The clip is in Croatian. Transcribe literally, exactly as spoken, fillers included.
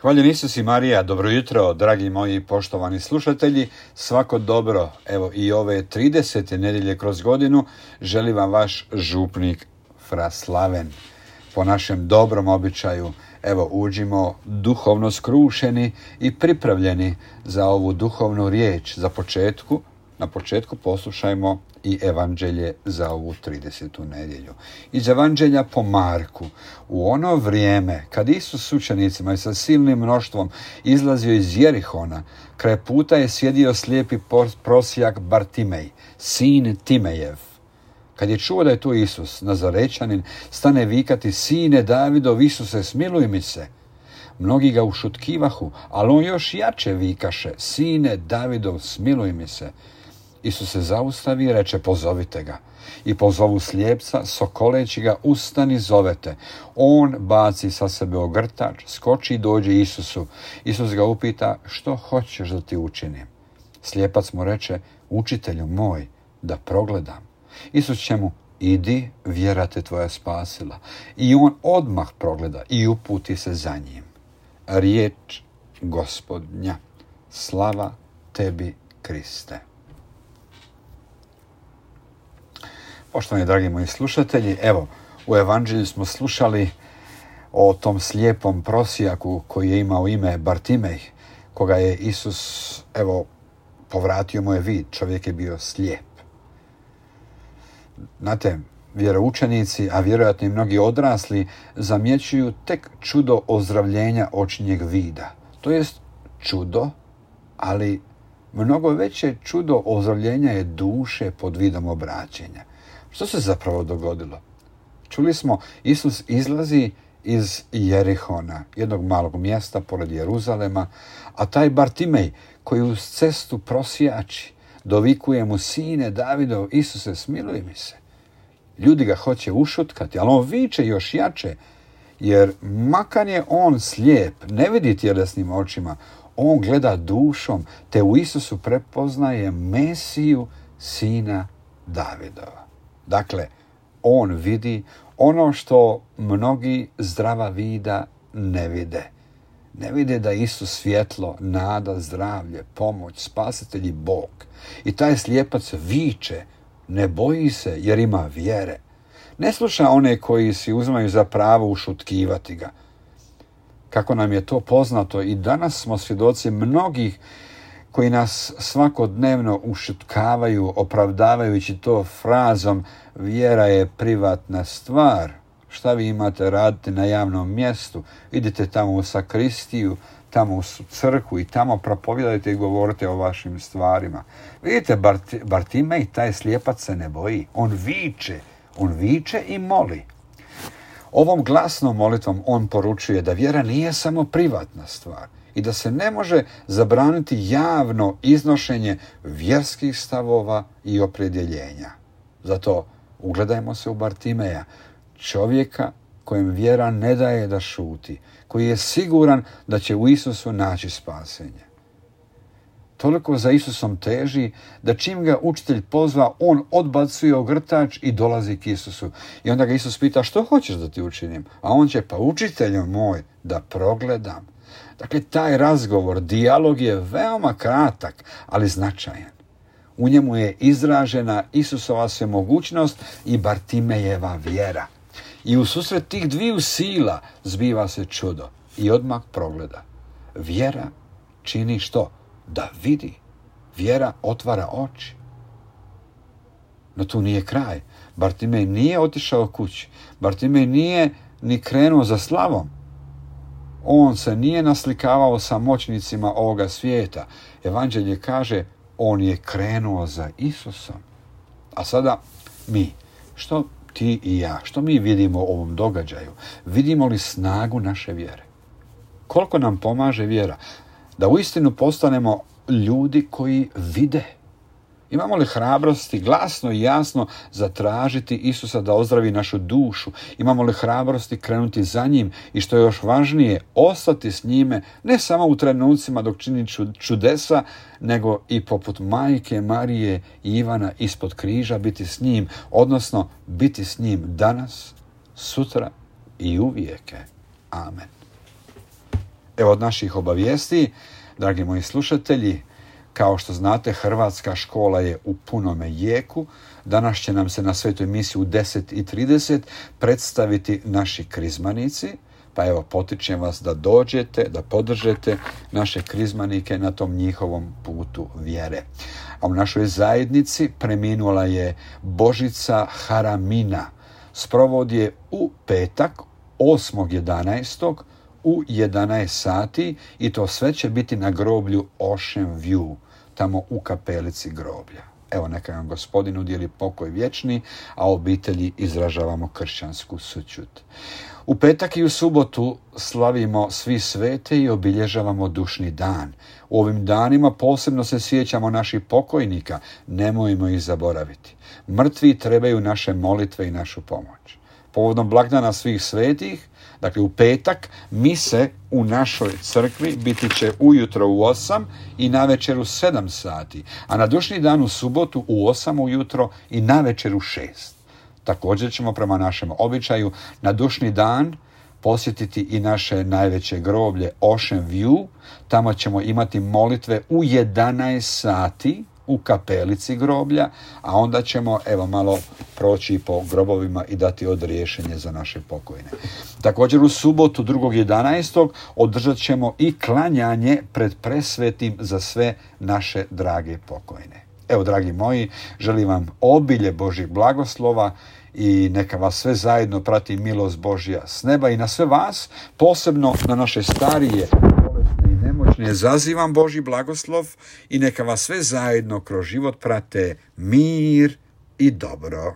Hvaljen Isus i Marija, dobro jutro, dragi moji poštovani slušatelji, svako dobro, evo i ove tridesete nedjelje kroz godinu, želi vam vaš župnik Fra Slaven. Po našem dobrom običaju, evo uđimo duhovno skrušeni i pripravljeni za ovu duhovnu riječ. Za početku, na početku poslušajmo i evanđelje za ovu tridesetu nedjelju. Iz evanđelja po Marku. U ono vrijeme, kad Isus s učenicima i sa silnim mnoštvom izlazio iz Jerihona, kraj puta je sjedio slijepi prosjak Bartimej, sin Timejev. Kad je čuo da je to Isus, Nazarećanin, stane vikati: Sine Davidov, Isuse, smiluj mi se. Mnogi ga ušutkivahu, ali on još jače vikaše: Sine Davidov, smiluj mi se. Isus se zaustavi i reče: pozovite ga. I pozovu slijepca, sokoleći ga: ustani, zovete. On baci sa sebe ogrtač, skoči i dođe Isusu. Isus ga upita: što hoćeš da ti učinim? Slijepac mu reče: učitelju moj, da progledam. Isus će mu: idi, vjera te tvoja spasila. I on odmah progleda i uputi se za njim. Riječ Gospodnja. Slava tebi, Kriste. Poštovani dragi moji slušatelji, evo, u evanđelju smo slušali o tom slijepom prosjaku koji je imao ime Bartimej, koga je Isus, evo, povratio mu je vid. Čovjek je bio slijep. Znate, vjeroučenici, a vjerojatno i mnogi odrasli, zamjećuju tek čudo ozdravljenja očinjeg vida. To jest čudo, ali mnogo veće čudo ozdravljenja je duše pod vidom obraćenja. Što se zapravo dogodilo? Čuli smo, Isus izlazi iz Jerihona, jednog malog mjesta pored Jeruzalema, a taj Bartimej, koji uz cestu prosjači, dovikuje mu: Sine Davidov, Isuse, smiluj mi se. Ljudi ga hoće ušutkati, ali on viče još jače, jer makar je on slijep, ne vidi tjelesnim očima, on gleda dušom, te u Isusu prepoznaje Mesiju, sina Davidova. Dakle, on vidi ono što mnogi zdrava vida ne vide. Ne vide da je Isus svjetlo, nada, zdravlje, pomoć, spasitelj i Bog. I taj slijepac viče, ne boji se jer ima vjere. Ne sluša one koji si uzimaju za pravo ušutkivati ga. Kako nam je to poznato, i danas smo svjedoci mnogih koji nas svakodnevno ušutkavaju, opravdavajući to frazom: vjera je privatna stvar. Šta vi imate raditi na javnom mjestu? Idite tamo u sakristiju, tamo u crkvu i tamo propovijedajte i govorite o vašim stvarima. Vidite, Bart- Bartimej, taj slijepac se ne boji. On viče, on viče i moli. Ovom glasnom molitvom on poručuje da vjera nije samo privatna stvar i da se ne može zabraniti javno iznošenje vjerskih stavova i opredjeljenja. Zato ugledajmo se u Bartimeja, čovjeka kojem vjera ne daje da šuti, koji je siguran da će u Isusu naći spasenje. Toliko za Isusom teži da čim ga učitelj pozva, on odbacuje ogrtač i dolazi k Isusu. I onda ga Isus pita: što hoćeš da ti učinim? A on će: pa učitelju moj, da progledam. Dakle, taj razgovor, dijalog je veoma kratak, ali značajan. U njemu je izražena Isusova svemogućnost i Bartimejeva vjera. I u susret tih dviju sila zbiva se čudo i odmah progleda. Vjera čini što? Da vidi. Vjera otvara oči. No tu nije kraj. Bartimej nije otišao kući. Bartimej nije ni krenuo za slavom. On se nije naslikavao sa moćnicima ovoga svijeta. Evanđelje kaže: on je krenuo za Isusom. A sada mi, što ti i ja, što mi vidimo u ovom događaju? Vidimo li snagu naše vjere? Koliko nam pomaže vjera da uistinu postanemo ljudi koji vide? Imamo li hrabrosti glasno i jasno zatražiti Isusa da ozdravi našu dušu? Imamo li hrabrosti krenuti za njim i, što je još važnije, ostati s njime ne samo u trenucima dok čini čudesa, nego i poput majke Marije i Ivana ispod križa biti s njim, odnosno biti s njim danas, sutra i uvijeke. Amen. Evo od naših obavijesti, dragi moji slušatelji, kao što znate, Hrvatska škola je u punome jeku. Danas će nam se na svetoj misi u deset i trideset predstaviti naši krizmanici. Pa evo, potičem vas da dođete, da podržete naše krizmanike na tom njihovom putu vjere. A u našoj zajednici preminula je Božica Haramina. Sprovod je u petak, osmog jedanaestog u jedanaest sati i to sve će biti na groblju Ocean View, tamo u kapelici groblja. Evo, neka nam Gospodin udjeli pokoj vječni, a obitelji izražavamo kršćansku sućut. U petak i u subotu slavimo svi svete i obilježavamo dušni dan. U ovim danima posebno se sjećamo naših pokojnika, nemojmo ih zaboraviti. Mrtvi trebaju naše molitve i našu pomoć. Povodom blagdana svih svetih, dakle u petak, mise u našoj crkvi biti će ujutro u osam i navečer u sedam sati, a na dušni dan u subotu u osam ujutro i navečer u šest. Također ćemo prema našem običaju na dušni dan posjetiti i naše najveće groblje Ocean View. Tamo ćemo imati molitve u jedanaest sati u kapelici groblja, a onda ćemo evo malo proći po grobovima i dati odriješenje za naše pokojne. Također u subotu drugog jedanaestog održat ćemo i klanjanje pred presvetim za sve naše drage pokojne. Evo, dragi moji, želim vam obilje Božjih blagoslova i neka vas sve zajedno prati milost Božja s neba i na sve vas, posebno na naše starije, bolesne i nemoćne, zazivam Božji blagoslov i neka vas sve zajedno kroz život prate mir i dobro.